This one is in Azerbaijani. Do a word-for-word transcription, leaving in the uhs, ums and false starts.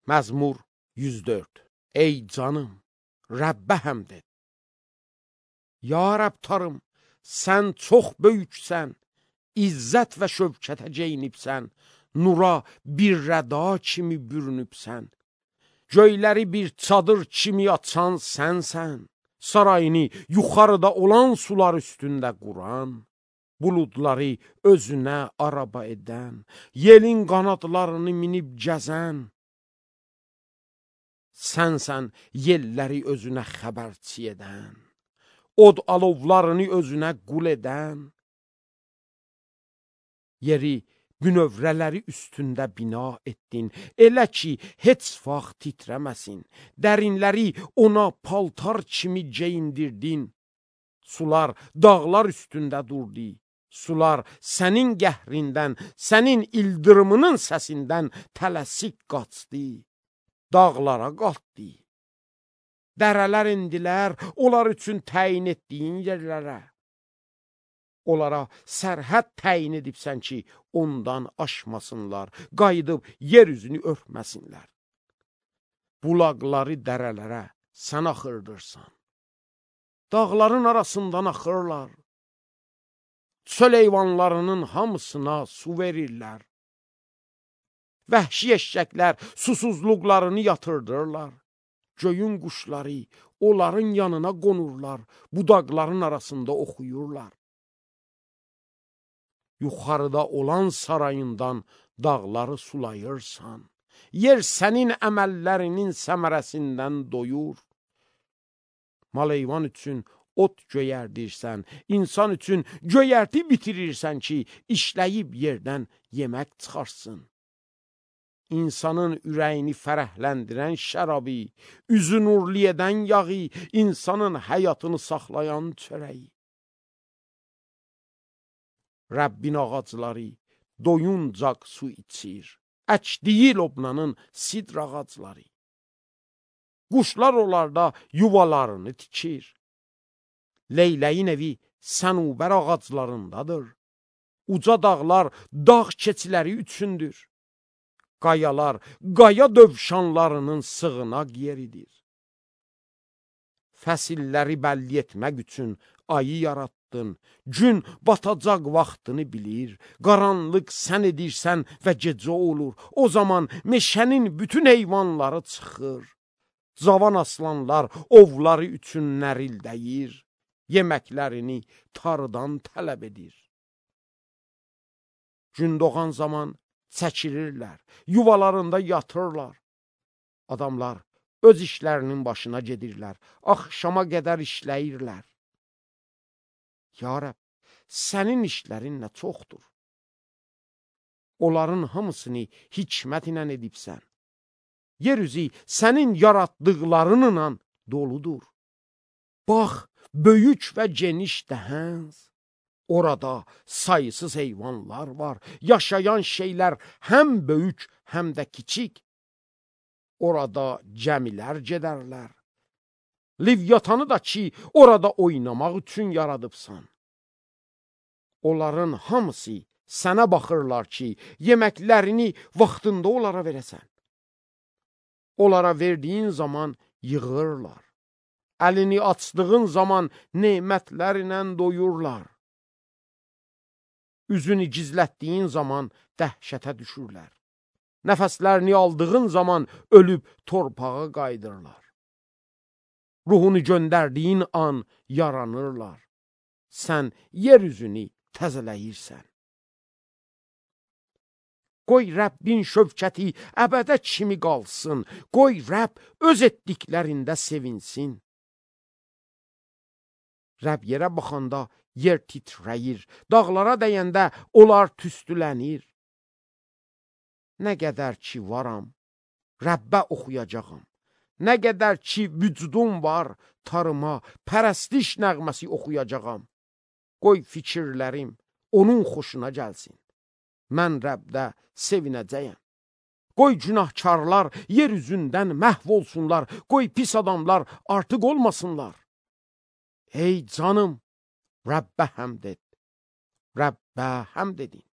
Məzmur yüz dörd. Ey canım, Rəbbə həmd et. Ya Rəbtarım, sən çox böyüksən, İzzət və şövkətə geyinibsən, nura bir rəda kimi bürünübsən. Göyləri bir çadır kimi açan sənsən, sarayını yuxarıda olan sular üstündə quran, buludları özünə araba edən, yelin qanadlarını minib gəzən, sənsən yelləri özünə xəbərçi edən, od alovlarını özünə qul edən, yeri bünövrələri üstündə bina etdin, elə ki, heç vaxt titrəməsin, dərinləri ona paltar kimi geyindirdin, sular dağlar üstündə durdu, sular sənin qəhrindən, sənin ildırımının səsindən tələsik qaçdı, dağlara qalxdı, dərələr indilər, onlar üçün təyin etdiyin yerlərə, onlara sərhəd təyin edibsən ki, ondan aşmasınlar, qayıdıb yer üzünü örtməsinlər. Bulaqları dərələrə sən axırdırsan, dağların arasından axırlar, çöl heyvanlarının hamısına su verirlər, vəhşi eşşəklər susuzluqlarını yatırdırlar, göyün quşları onların yanına qonurlar, budaqların arasında oxuyurlar. Yuxarıda olan sarayından dağları sulayırsan, yer sənin əməllərinin səmərəsindən doyur. Mal-heyvan üçün ot göyərdirsən, insan üçün göyərti bitirirsən ki, işləyib yerdən yemək çıxarsın. İnsanın ürəyini fərəhləndirən şərabı, üzü nurlu edən yağı, insanın həyatını saxlayan çörəyi. Rəbbin ağacları doyuncaq su içir, əkdiyi Lobnanın sidr ağacları. Quşlar onlarda yuvalarını tikir. Leyləyin evi sənubər ağaclarındadır. Uca dağlar dağ keçiləri üçündür. Qayalar, qaya dövşanlarının sığınaq yeridir. Fəsilləri bəlli etmək üçün ayı yarattın, gün batacaq vaxtını bilir, qaranlıq sən edirsən və gecə olur, o zaman meşənin bütün heyvanları çıxır, cavan aslanlar ovları üçün nərildəyir, yeməklərini tarıdan tələb edir. Gün doğan zaman çəkilirlər, yuvalarında yatırlar, adamlar öz işlərinin başına gedirlər, axşama qədər işləyirlər. Ya Rəbb, sənin işlərin nə çoxdur. Onların hamısını hikmət ilə edibsən. Yer üzü sənin yaratdıqlarınla doludur. Bax, böyük və geniş dəhəns. Orada sayısız heyvanlar var, yaşayan şeylər həm böyük, həm də kiçik. Orada cəmilər gedərlər. Livyatanı da ki, orada oynamaq üçün yaradıbsan. Onların hamısı sənə baxırlar ki, yeməklərini vaxtında onlara verəsən. Onlara verdiyin zaman yığırlar. Əlini açdığın zaman nemətlərlə doyurlar. Üzünü gizlətdiyin zaman dəhşətə düşürlər. Nəfəslərini aldığın zaman ölüb torpağa qaydırlar. Ruhunu göndərdiyin an yaranırlar. Sən yer üzünü təzələyirsən. Qoy Rəbbin şövkəti əbədə kimi qalsın. Qoy Rəbb öz etdiklərində sevinsin. Rəbb yerə baxanda yer titrəyir. Dağlara dəyəndə onlar tüstülənir. Nə qədər ki varam, Rəbbə oxuyacağam. Nə qədər ki vücudum var, tarıma, pərəstiş nəğməsi oxuyacağam. Qoy fikirlərim onun xoşuna gəlsin. Mən Rəbdə sevinəcəyəm. Qoy günahkarlar yer üzündən məhv olsunlar. Qoy pis adamlar artıq olmasınlar. Ey canım, Rəbbə həmd et. Rəbbə həmd edin.